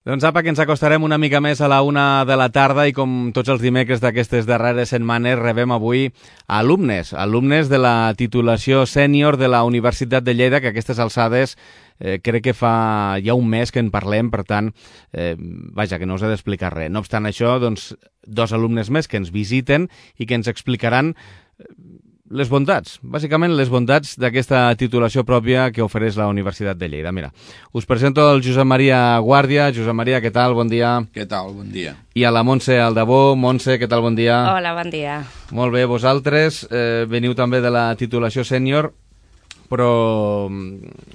Doncs apa, que ens acostarem una mica més a la 1 de la tarda i com tots els dimecres d'aquestes darreres setmanes rebem avui alumnes de la titulació sènior de la Universitat de Lleida, que a aquestes alçades crec que fa ja un mes que en parlem, per tant, vaja, que no us he d'explicar res. No obstant això, doncs, 2 alumnes més que ens visiten i que ens explicaran les bondats, bàsicament les bondats d'aquesta titulació pròpia que ofereix la Universitat de Lleida. Mira, us presento el Josep Maria Guàrdia. Josep Maria, què tal? Bon dia. Què tal? Bon dia. I a la Montse Aldabó. Montse, què tal? Bon dia. Hola, bon dia. Molt bé, vosaltres veniu també de la titulació sènior, però,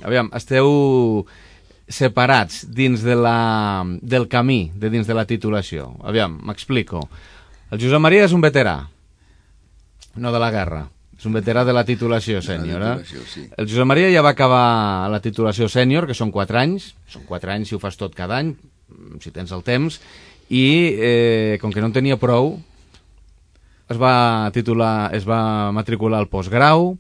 aviam, esteu separats dins del camí de dins de la titulació. Aviam, m'explico. El Josep Maria és un veterà, no de la guerra. És un veterà de la titulació sènior. Sí. El Josep Maria ja va acabar la titulació sènior, que són 4 anys. Són 4 anys si ho fas tot cada any, si tens el temps. I com que no en tenia prou, es va matricular al postgrau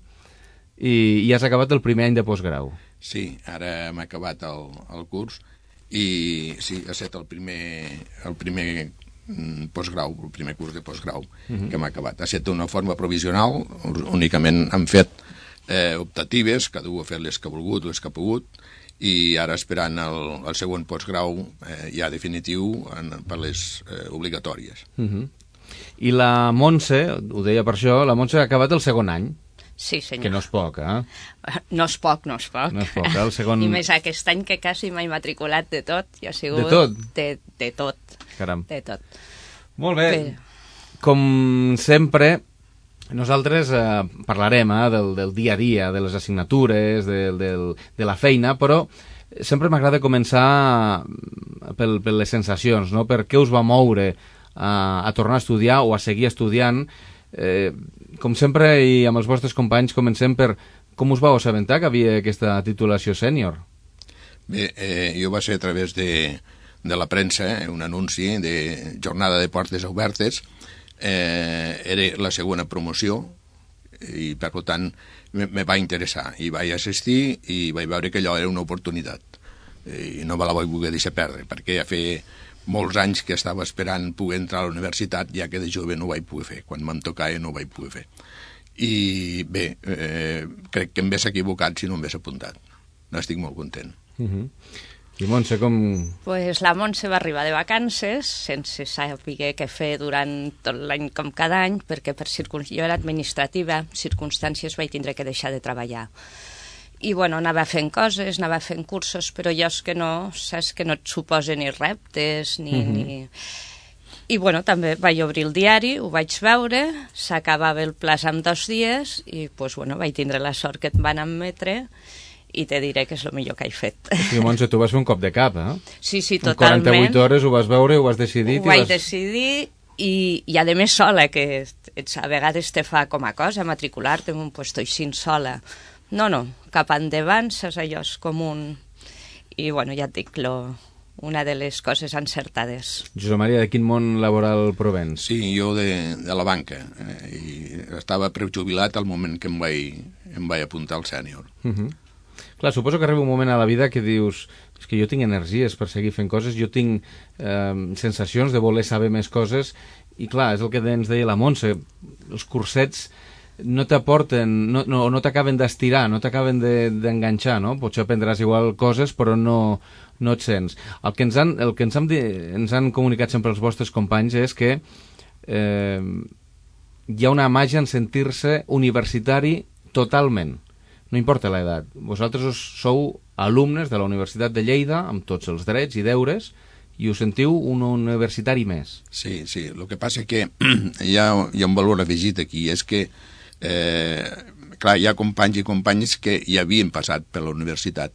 i has acabat el primer any de postgrau. Sí, ara hem acabat el curs i sí, ha estat el primer postgrau, el primer curs de postgrau que hem acabat. Ha estat d'una forma provisional, únicament han fet optatives, cada un ha fet les que ha volgut, les que ha pogut, i ara esperant el següent postgrau ja definitiu per les obligatòries. I la Montse, ho deia per això, la Montse ha acabat el segon any. Sí, senyor. Que no és poc, eh? No és poc, no és poc. No és poc, el segon... I més aquest any que quasi m'he matriculat de tot. I ha sigut... De tot? De tot. Caram. De tot. Molt bé. Com sempre, nosaltres parlarem del dia a dia, de les assignatures, de la feina, però sempre m'agrada començar per les sensacions, no? Per què us va moure a tornar a estudiar o a seguir estudiant. Com sempre, i amb els vostres companys, comencem per com us vau assabentar que havia aquesta titulació sènior. Bé, jo va ser a través de la premsa, un anunci de jornada de portes obertes. Era la segona promoció i, per tant, me va interessar. I vaig assistir i vaig veure que allò era una oportunitat. I no me la vaig voler deixar perdre, perquè ja feia molts anys que estava esperant poder entrar a la universitat, ja que de jove no ho vaig poder fer. Quan m'en tocava no ho vaig poder fer. I bé, crec que em hagués equivocat si no em hagués apuntat. N'estic molt content. I Montse, com... Pues la Montse va arribar de vacances sense saber què fer durant tot l'any com cada any, perquè jo era administrativa, circumstàncies vaig tindre que deixar de treballar. I, bueno, anava fent coses, anava fent cursos, però jo és que no, saps que no et suposa ni reptes, ni... I, bueno, també vaig obrir el diari, ho vaig veure, s'acabava el plaç en 2 dies i, pues, bueno, vaig tindre la sort que em van admetre i te diré que és el millor que he fet. Sí, Montse, tu vas fer un cop de cap, eh? Sí, totalment. En 48 hores ho vas veure, ho has decidit... Ho vaig decidir i a més sola, que a vegades te fa com a cosa matricular-te en un puesto així sola. No, cap endavant, saps, allò és com un... I, bueno, ja et dic, una de les coses encertades. Josep Maria, de quin món laboral provens? Sí, jo de la banca. I estava prejubilat al moment que em vaig apuntar al sènior. Clar, suposo que arriba un moment a la vida que dius és que jo tinc energies per seguir fent coses, jo tinc sensacions de voler saber més coses i, clar, és el que ens deia la Montse, els cursets no t'aporten, no t'acaben d'estirar, no t'acaben d'enganxar, no? Potser aprendràs igual coses, però no et sents. El que ens han comunicat sempre els vostres companys és que hi ha una màgia en sentir-se universitari totalment. No importa l'edat. Vosaltres sou alumnes de la Universitat de Lleida, amb tots els drets i deures, i us sentiu un universitari més. Sí, el que passa que hi ha un valor afegit aquí, és que clar, hi ha companys i companyes que ja havien passat per la universitat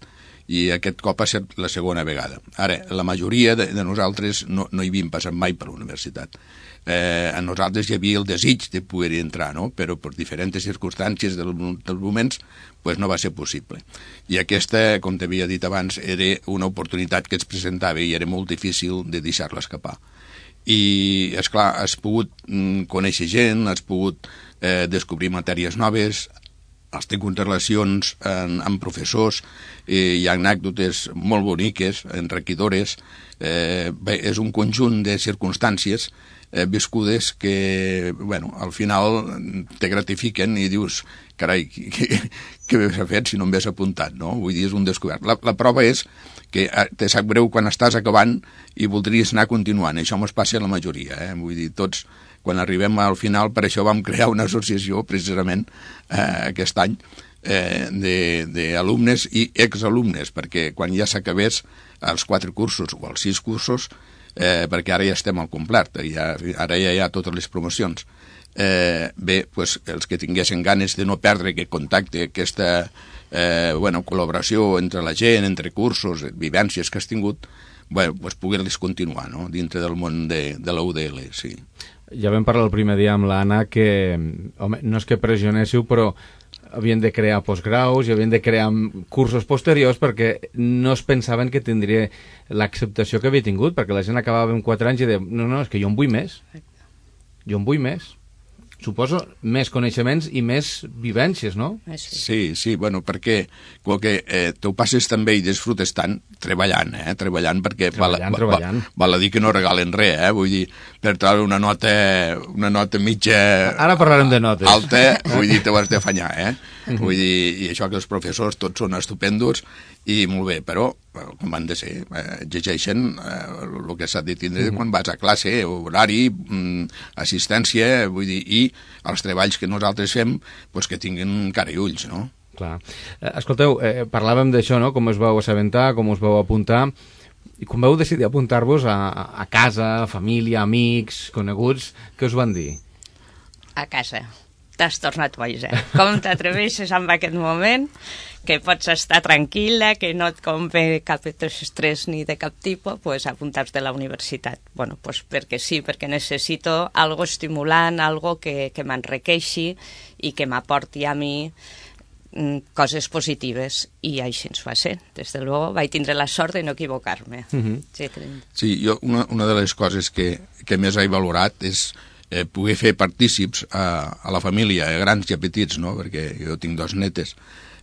i aquest cop ha estat la segona vegada. Ara, la majoria de nosaltres no hi havíem passat mai per la universitat. A nosaltres hi havia el desig de poder-hi entrar, no? Però per diferents circumstàncies dels moments pues no va ser possible. I aquesta, com t'havia dit abans, era una oportunitat que es presentava i era molt difícil de deixar-la escapar. I, esclar, has pogut conèixer gent, has pogut descobrir matèries noves, els tinc unes relacions amb professors, hi ha anècdotes molt boniques, enriquidores, és un conjunt de circumstàncies viscudes que, bueno, al final te gratifiquen i dius, carai, què s'ha fet si no em hagués apuntat, no? Vull dir, és un descobert. La prova és que te sap greu quan estàs acabant i voldries anar continuant. Això mos passa a la majoria, Vull dir, tots, quan arribem al final, per això vam crear una associació, precisament, aquest any, d'alumnes i exalumnes, perquè quan ja s'acabés els 4 cursos o els 6 cursos, perquè ara ja estem al complet, ara ja hi ha totes les promocions. Bé, doncs, els que tinguessin ganes de no perdre aquest contacte, aquesta col·laboració entre la gent, entre cursos, vivències que has tingut, doncs poder-les continuar, no?, dintre del món de la UDL, sí. Ja vam parlar el primer dia amb l'Anna que, home, no és que pressionéssiu, però havien de crear postgraus i havien de crear cursos posteriors perquè no es pensaven que tindria l'acceptació que havia tingut, perquè la gent acabava amb 4 anys i deia, no, és que jo en vull més. Jo en vull més. Suposo més coneixements i més vivències, no? Sí, bueno, perquè com que t'ho passes també i disfrutes tant treballant, perquè treballant. Val a dir que no regalen res, vull dir, per treure una nota mitja... Ara parlarem de notes. Alta, vull dir, te ho has d'afanyar, Vull dir, i això que els professors tots són estupendos i molt bé, però com han de ser, exigeixen el que s'ha de tindre quan vas a classe, horari, assistència, vull dir, i els treballs que nosaltres fem, doncs que tinguin cara i ulls, no? Clar. Escolteu, parlàvem d'això, no?, com us vau assabentar, com us vau apuntar, i com vau decidir apuntar-vos a casa, família, amics, coneguts, què us van dir? A casa. T'has tornat boja. Com t'atreveixes en aquest moment, que pots estar tranquil·la, que no et convé cap estrès ni de cap tipus, pues apuntar-te a la universitat. Bueno, pues perquè sí, perquè necessito algo estimulant, algo que m'enriqueixi i que m'aporti a mi coses positives, i així ens va ser. Des de luego vaig tindre la sort de no equivocar-me. Sí, jo una de les coses que més he valorat és poder fer partícips a la família, grans i a petits, no?, perquè jo tinc 2 netes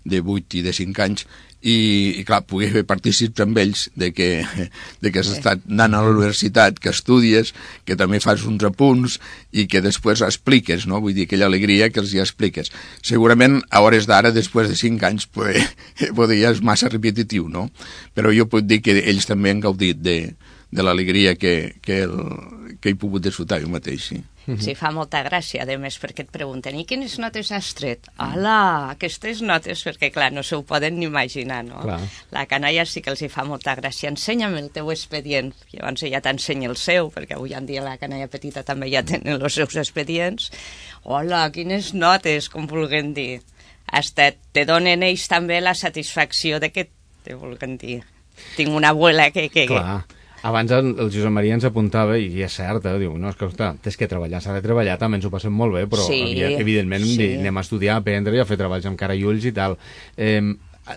de 8 i de 5 anys, i clar, poder fer partícips amb ells de que has estat anant a la universitat, que estudies, que també fas uns apunts i que després expliques, no?, vull dir, aquella alegria que els hi expliques. Segurament, a hores d'ara, després de 5 anys, ja és massa repetitiu, no?, però jo puc dir que ells també han gaudit de l'alegria que he pogut disfrutar jo mateix, sí. Sí, fa molta gràcia, a més, perquè et pregunten, i quines notes has tret? Hola, aquestes notes, perquè clar, no se ho poden ni imaginar, no? Clar. La canalla sí que els hi fa molta gràcia. Ensenya'm el teu expedient. Llavors ja t'ensenya el seu, perquè avui en dia la canalla petita també ja tenen els seus expedients. Hola, quines notes, com vulguem dir. Hasta te donen ells també la satisfacció de que te vulguem dir. Tinc una abuela que... Clar. Abans el Josep Maria ens apuntava, i és cert, diu, no, és que, ostres, tens que treballar, s'ha de treballar, també ens ho passem molt bé, però evidentment anem a estudiar, a aprendre i a fer treballs amb cara i ulls i tal.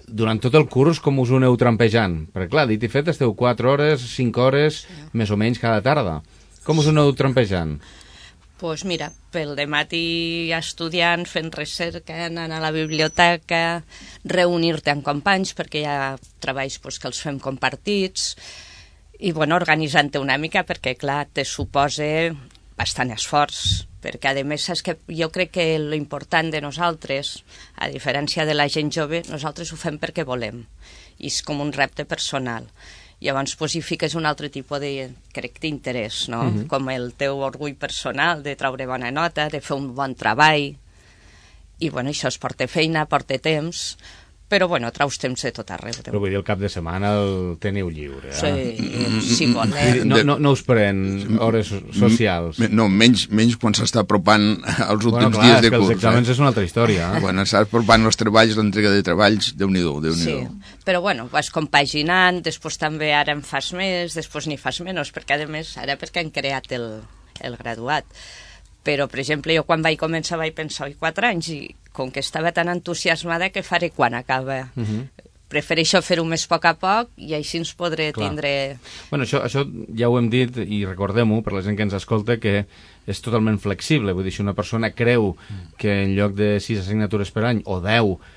Durant tot el curs, com us ho aneu trampejant? Perquè, clar, dit i fet, esteu 4 hores, 5 hores, més o menys cada tarda. Com us ho aneu trampejant? Doncs mira, pel dematí estudiant, fent recerca, anant a la biblioteca, reunir-te amb companys, perquè hi ha treballs que els fem compartits, i bueno, organitzant-te una mica, perquè clar, te suposa bastant esforç, perquè a més és que jo crec que l'important de nosaltres, a diferència de la gent jove, nosaltres ho fem perquè volem, i és com un repte personal. Llavors hi fiques un altre tipus de, crec, d'interès, no? Com el teu orgull personal de treure bona nota, de fer un bon treball, i bueno, això es porta feina, porta temps, però bueno, traus temps de tot arreu. Però vull dir, el cap de setmana el teniu lliure, Sí, si volem. No us pren hores socials? No, menys quan s'està apropant els últims dies de curs. Els exàmens és una altra història. Quan s'està apropant els treballs, l'entrega de treballs, Déu-n'hi-do. Sí, però bueno, vas compaginant, després també ara en fas més, després n'hi fas menys, perquè a més, ara perquè han creat el graduat. Però, per exemple, jo quan vaig començar vaig pensar, 4 anys, i com que estava tan entusiasmada, què faré quan acaba? prefereixo fer-ho més a poc i així ens podré tindre... Bueno, això ja ho hem dit i recordem-ho per la gent que ens escolta, que és totalment flexible. Vull dir, si una persona creu que en lloc de 6 assignatures per any o 10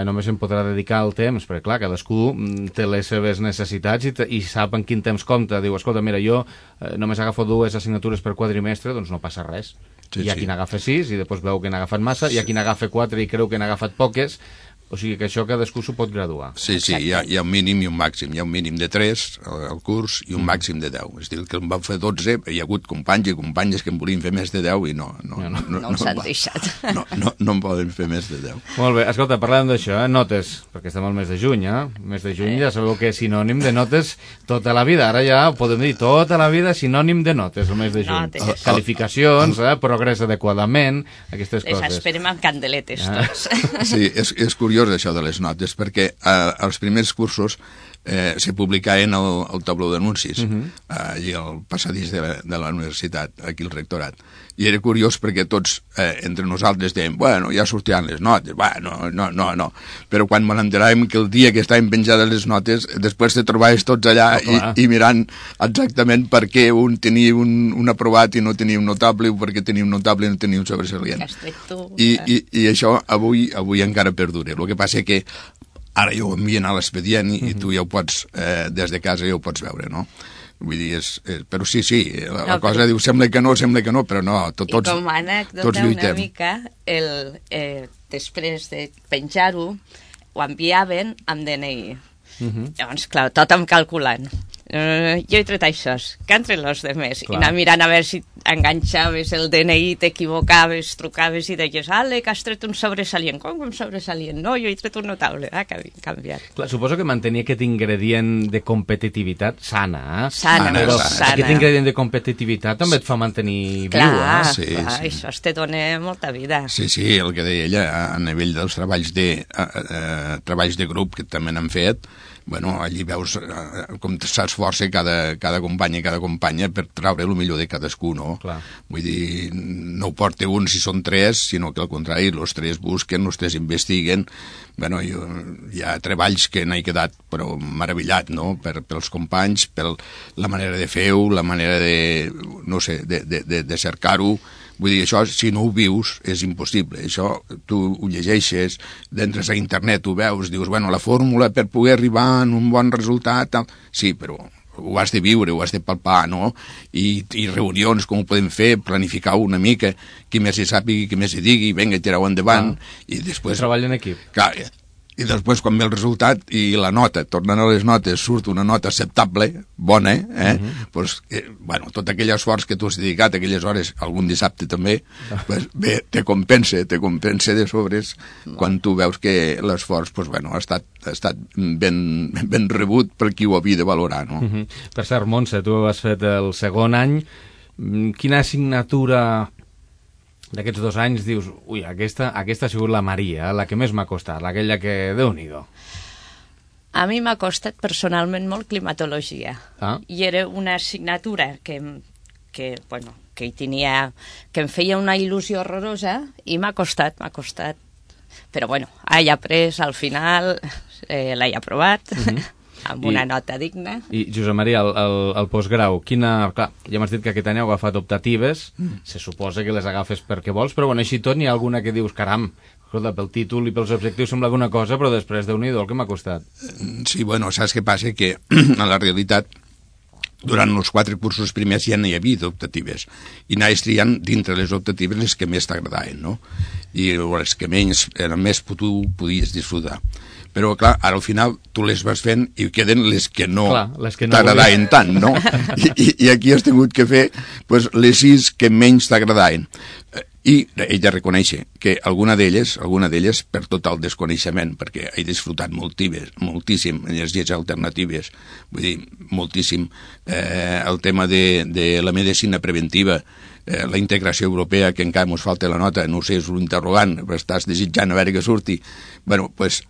només em podrà dedicar el temps, perquè clar, cadascú té les seves necessitats i sap en quin temps compta. Diu, escolta, mira, jo només agafo 2 assignatures per quadrimestre, doncs no passa res. Hi ha qui n'agafa 6 i després veu que n'ha agafat massa, hi ha qui n'agafa 4 i creu que n'ha agafat poques. O sigui que això cadascú s'ho pot graduar. Sí, hi ha un mínim i un màxim. Hi ha un mínim de 3 al curs i un màxim de 10. És a dir, que en van fer 12, hi ha hagut companys i companyes que en volien fer més de 10 i no els han deixat. No en poden fer més de 10. Molt bé, escolta, parlem d'això, notes, perquè estem al mes de juny, Mes de juny ja sabeu que és sinònim de notes tota la vida. Ara ja podem dir tota la vida sinònim de notes, el mes de juny. Qualificacions, progrés adequadament, aquestes coses. Les esperem amb candeletes, tots. Sí, és curiós això de les notes, perquè als primers cursos se publicaven el tabló d'anuncis allí al passadís de la universitat, aquí al rectorat, i era curiós perquè tots entre nosaltres dèiem, bueno, ja sortiran les notes, bueno, no, però quan me n'enteràvem que el dia que estaven penjades les notes, després te trobaves tots allà i mirant exactament per què un tenia un aprovat i no tenia un notable, o per què tenia un notable i no tenia un sobresalient. I això avui encara perdura. El que passa que ara ja ho envien a l'expedient i tu ja ho pots, des de casa ja ho pots veure, no? Vull dir, però sí, la cosa diu, sembla que no, però no, tots lluitem. I com a anècdota una mica, després de penjar-ho, ho enviaven amb DNI. Llavors, clar, tothom calculant. Jo he tret això, que han tret els demés. I anar mirant a veure si enganxaves el DNI, t'equivocaves, trucaves i deies, ale, que has tret un sobresalient. Com un sobresalient? No, jo he tret un notable. Que havia canviat. Clar, suposo que mantenir aquest ingredient de competitivitat sana, Sana. Aquest ingredient de competitivitat també et fa mantenir viu, Sí, això te dona molta vida. Sí, el que deia ella, a nivell dels treballs de grup que també n'han fet, bueno, allí veus com s'esforça cada company i cada companya per traure el millor de cadascú, no? Clar. Vull dir, no ho porta un si són 3, sinó que al contrari, els 3 busquen, els 3 investiguen. Bueno, hi ha treballs que n'he quedat però meravellat, no?, pels companys, per la manera de fer-ho, la manera de, no sé, de cercar-ho. Vull dir, això, si no ho vius, és impossible. Això, tu ho llegeixes, entres a internet, ho veus, dius, bueno, la fórmula per poder arribar a un bon resultat, tal. Sí, però ho has de viure, ho has de palpar, no? I reunions, com ho podem fer, planificar una mica, qui més hi sàpiga, qui més hi digui, vinga, tireu endavant, i després... Treball en equip. Clar, i després quan ve el resultat i la nota, tornant a les notes, surt una nota acceptable, bona, doncs, bueno, tot aquell esforç que tu has dedicat, aquelles hores, algun dissabte també, pues, bé, te compensa de sobres quan tu veus que l'esforç, pues, bueno, ha estat ben rebut per qui ho havia de valorar, no? Per cert, Montse, tu has fet el segon any. Quina assignatura d'aquests 2 anys dius, ui, aquesta ha sigut la Maria, la que més m'ha costat, aquella que, Déu-n'hi-do? A mi m'ha costat personalment molt climatologia. I era una assignatura que hi tenia, que em feia una il·lusió horrorosa i m'ha costat. Però bueno, he après, al final l'he aprovat, amb una nota digna. I, Josep Maria, el postgrau, clar, ja m'has dit que aquest any heu agafat optatives, se suposa que les agafes perquè vols, però bueno, així tot n'hi ha alguna que dius, caram, escolta, pel títol i pels objectius sembla alguna cosa, però després, Déu-n'hi-do, el que m'ha costat. Sí, bueno, saps què passa? Que a la realitat, durant els 4 cursos primers ja n'hi havia d'optatives, i anaves triant dintre les optatives les que més t'agradaven, no? I les que menys, més tu podies disfrutar. Però, clar, ara al final tu les vas fent i queden les que no t'agradaven tant, no? I aquí has tingut que fer pues, les 6 que menys t'agradaven. I ella reconeix que alguna d'elles, per tot el desconeixement, perquè he disfrutat moltíssim energies alternatives, vull dir, moltíssim, el tema de la medicina preventiva, la integració europea, que encara ens falta la nota, no sé, és un interrogant, però estàs desitjant a veure que surti. Bueno, doncs,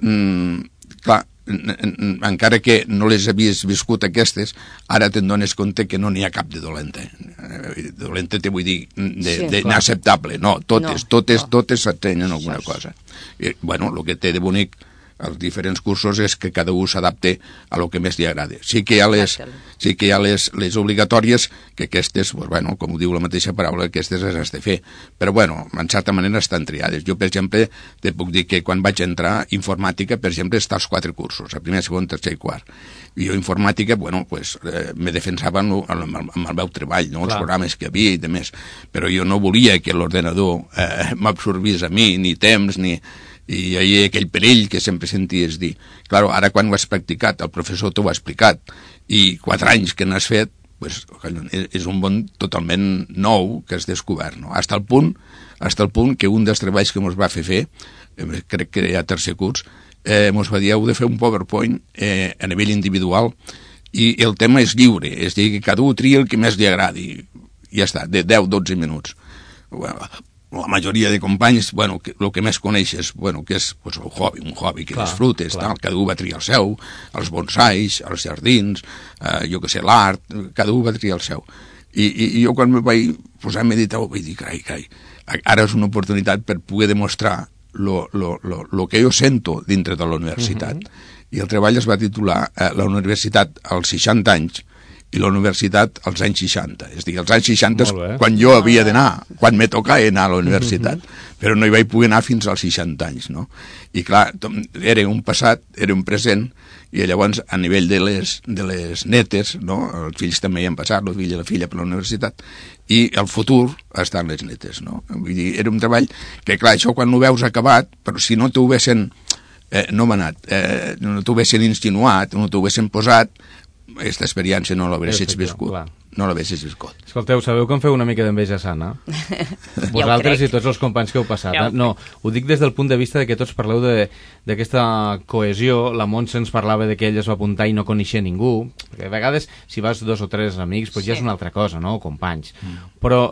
clar, encara que no les havies viscut aquestes, ara te'n dones compte que no n'hi ha cap de dolenta. Dolenta te vull dir d'inacceptable, no, totes s'atenen alguna cosa. I, bueno, el que té de bonic els diferents cursos és que cada un s'adapte a lo que més li agrada. Sí que hi ha les obligatòries, que aquestes, pues, bueno, com ho diu la mateixa paraula, aquestes les has de fer. Però, bueno, en certa manera estan triades. Jo, per exemple, te puc dir que quan vaig entrar, informàtica, per exemple, està als 4 cursos, a primer, segon, tercer i quart. I jo, informàtica, bueno, pues, me defensava amb el meu treball, no? Els programes que havia i demés. Però jo no volia que l'ordenador m'absorbís a mi, ni temps, ni... I hi havia aquell perill que sempre senties dir. Claro, ara quan ho has practicat, el professor t'ho ha explicat, i 4 anys que n'has fet, pues, és un món totalment nou que has descobert, no? Hasta el punt que un dels treballs que ens va fer, crec que ja tercer curs, ens va dir, heu de fer un PowerPoint a nivell individual, i el tema és lliure, és a dir, que cada un tria el que més li agradi, i ja està, de 10-12 minuts. Bueno, la majoria de companys, bueno, el que més coneixes, bueno, que és pues, un hobby que disfrutes, tal, cada un va triar el seu, els bonsais, els jardins, jo que sé, l'art, cada un va triar el seu. I jo quan me vaig posar a meditar vaig dir, carai, ara és una oportunitat per poder demostrar lo que jo sento dintre de la universitat. I el treball es va titular La universitat als 60 anys, i la universitat als anys 60. És a dir, als anys 60 és quan jo havia d'anar, quan me tocava anar a la universitat, però no hi vaig poder anar fins als 60 anys, no? I clar, era un passat, era un present, i llavors a nivell de les netes, no? Els fills també hi han passat, el fill i la filla per la universitat, i el futur estan les netes, no? Vull dir, era un treball que, clar, això quan ho veus acabat, però si no t'ho haguessin no t'ho haguessin insinuat, no t'ho haguessin posat, aquesta experiència no l'haguessis viscut. No l'haguessis viscut. Escolteu, sabeu que em feu una mica d'enveja sana? Vosaltres i tots els companys que heu passat. No, ho dic des del punt de vista de que tots parleu d'aquesta cohesió. La Montse ens parlava de que ella es va apuntar i no coneixia ningú. Perquè a vegades, si vas 2 o 3 amics, doncs ja és una altra cosa, no? Companys. Però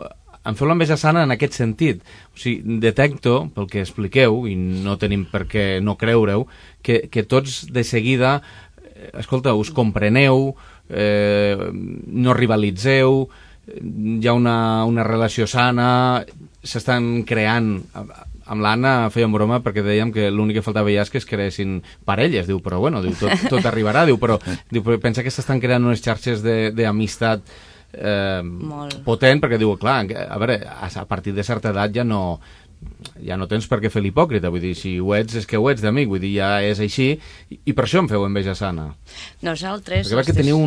em feu l'enveja sana en aquest sentit. O sigui, detecto, pel que expliqueu, i no tenim per què no creure-ho, que tots de seguida, escolta, us compreneu, no rivalitzeu, hi ha una relació sana, s'estan creant... Amb l'Anna fèiem broma perquè dèiem que l'únic que faltava ja és que es creessin parelles, diu, però bueno, diu, tot arribarà, diu, però pensa que s'estan creant unes xarxes d'amistat potent, perquè diu, clar, a veure, a partir de certa edat ja no tens per què fer l'hipòcrita, vull dir, si ho ets és que ho ets d'amic, vull dir, ja és així, i per això em feu enveja sana. Nosaltres... Perquè veig que teniu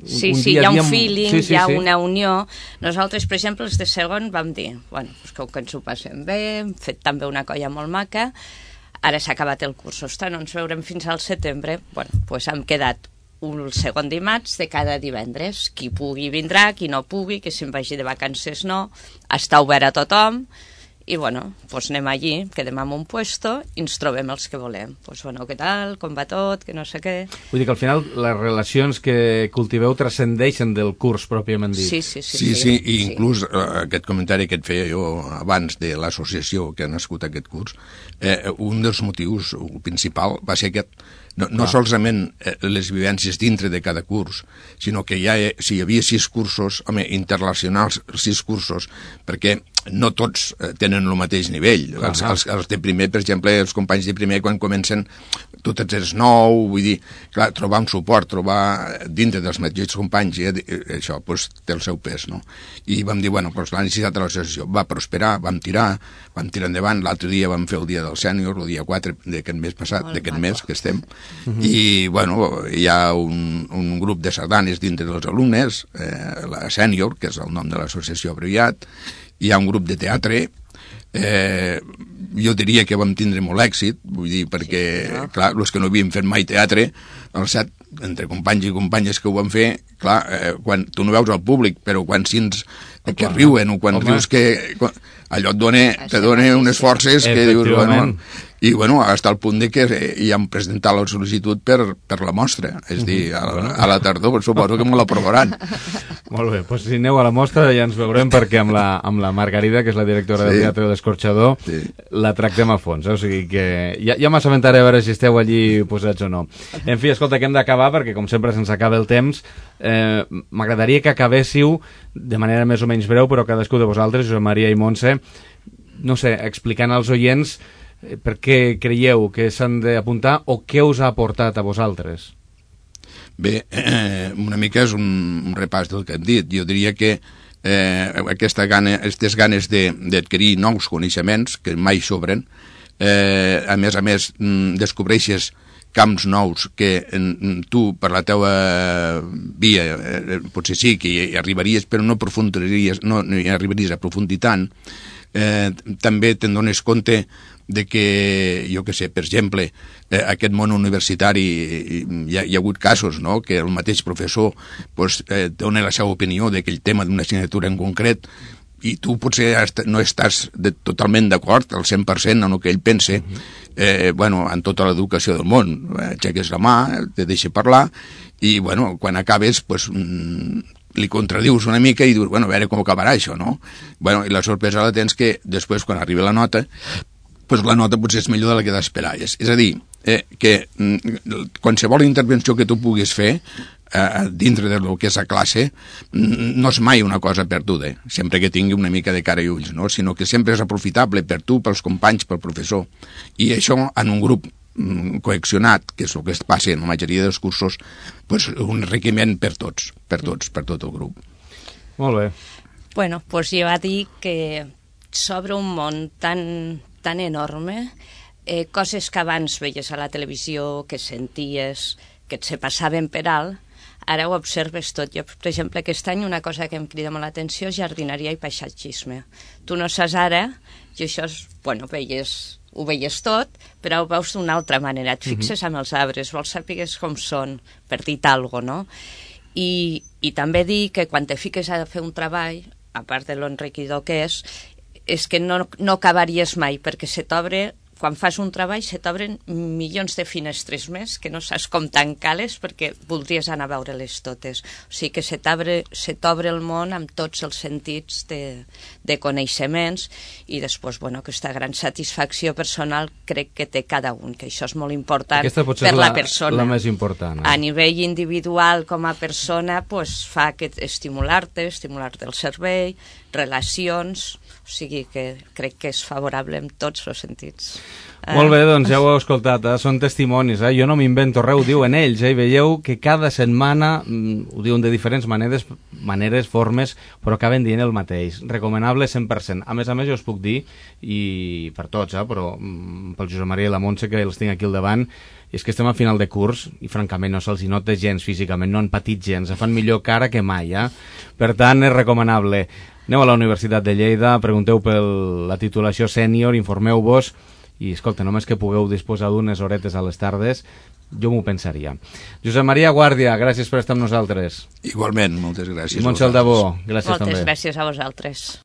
Sí, hi ha un feeling, hi ha una unió. Nosaltres, per exemple, els de segon vam dir, bueno, que ens ho passem bé, hem fet també una colla molt maca, ara s'ha acabat el curs, ostres, no ens veurem fins al setembre, bueno, doncs hem quedat un segon dimarts de cada divendres. Qui pugui vindrà, qui no pugui, que se'n vagi de vacances no, està obert a tothom, i bueno, doncs anem allí, quedem en un puesto i ens trobem els que volem. Doncs bueno, què tal, com va tot, que no sé què... Vull dir que al final les relacions que cultiveu transcendeixen del curs pròpiament dit. Sí, i inclús aquest comentari que et feia jo abans de l'associació que ha nascut aquest curs, un dels motius principal va ser aquest. No solament les vivències dintre de cada curs, sinó que si hi havia 6 cursos, home, interrelacionals 6 cursos, perquè no tots tenen el mateix nivell. Els de primer, per exemple, els companys de primer, quan comencen, tu ets nou, vull dir, clar, trobar un suport, trobar dintre dels mateixos companys, això doncs, té el seu pes, no? I vam dir, bueno, doncs la necessitat de l'associació va prosperar, vam tirar endavant. L'altre dia vam fer el dia del sènior, el dia 4 d'aquest mes passat, d'aquest mes que estem, i, bueno, hi ha un grup de sardanes dintre dels alumnes, la sènior, que és el nom de l'associació abreviat, hi ha un grup de teatre, jo diria que vam tindre molt èxit, vull dir, perquè, clar, els que no havíem fet mai teatre, el set, entre companys i companyes que ho van fer, clar, quan tu no veus el públic, però quan sents que riuen o quan rius que... allò te dona unes forces que dius, bueno... I, bueno, fins al punt de que ja hem presentat la sol·licitud per la mostra. És a dir, a la tardor, suposo que me l'aprovaran. Molt bé, doncs si aneu a la mostra ja ens veurem, perquè amb la Margarida, que és la directora del Teatre de l'Escorxador, la tractem a fons. O sigui que ja m'assabentaré a veure si esteu allí posats o no. En fi, escolta, que hem d'acabar, perquè com sempre se'ns acaba el temps. M'agradaria que acabéssiu de manera més o menys breu, però cadascú de vosaltres, Josep Maria i Montse, no sé, explicant als oients Per què creieu que s'han d'apuntar o què us ha aportat a vosaltres? Bé, una mica és un repàs del que hem dit. Jo diria que aquestes ganes d'adquirir nous coneixements que mai sobren, a més, descobreixes camps nous que tu, per la teua via, potser sí que hi arribaries, però no hi arribaries a aprofundir tant. També te'n dones compte de que, jo què sé, per exemple, aquest món universitari hi ha hagut casos, no?, que el mateix professor dona la seva opinió d'aquell tema d'una assignatura en concret i tu potser no estàs totalment d'acord al 100% en el que ell pense. En tota l'educació del món aixeques la mà, te deixa parlar i quan acabes li contradius una mica i dius, a veure com acabarà això, no? I la sorpresa la tens que després, quan arriba la nota, la nota potser és millor de la que t'esperaves. És a dir, que qualsevol intervenció que tu puguis fer dintre del que és la classe no és mai una cosa perduda, sempre que tingui una mica de cara i ulls, no? Sinó que sempre és aprofitable per tu, pels companys, pel professor. I això en un grup coaccionat, que és el que es passa en la majoria dels cursos, un enriquiment per tot el grup. Molt bé. Bueno, jo he de dir que s'obre un món tan enorme, coses que abans veies a la televisió, que senties, que et se passaven per alt, ara ho observes tot. Jo, per exemple, aquest any una cosa que em crida molt l'atenció és jardineria i paisatgisme. Tu no saps ara, i això és, ho veies tot, però ho veus d'una altra manera. Et fixes amb els arbres, vols saber com són, per dir-te alguna cosa, no? I també dir que quan te fiques a fer un treball, a part de l'enriquidor que és que no acabaries mai, perquè se t'obre, quan fas un treball, se t'obren milions de finestres més, que no saps com tancar-les perquè voldries anar a veure-les totes. O sigui que se t'obre el món amb tots els sentits de coneixements i després, aquesta gran satisfacció personal crec que té cada un, que això és molt important per la persona. La més important. A nivell individual, com a persona, fa que estimular-te el cervell, relacions, o sigui que crec que és favorable en tots els sentits. Molt bé, doncs ja ho heu escoltat, són testimonis, jo no m'invento res, ho diuen ells, i veieu que cada setmana, ho diuen de diferents maneres, formes, però acaben dient el mateix, recomanable 100%. A més, jo us puc dir, i per tots, però pel Josep Maria i la Montse, que els tinc aquí al davant, és que estem a final de curs i francament no se'ls nota gens físicament, no han patit gens, fan millor cara que mai, per tant és recomanable. Aneu a la Universitat de Lleida, pregunteu per la titulació sènior, informeu-vos i, escolta, només que pugueu disposar d'unes horetes a les tardes, jo m'ho pensaria. Josep Maria Guàrdia, gràcies per estar amb nosaltres. Igualment, moltes gràcies. I Montse Aldabó, gràcies també. Moltes gràcies a vosaltres.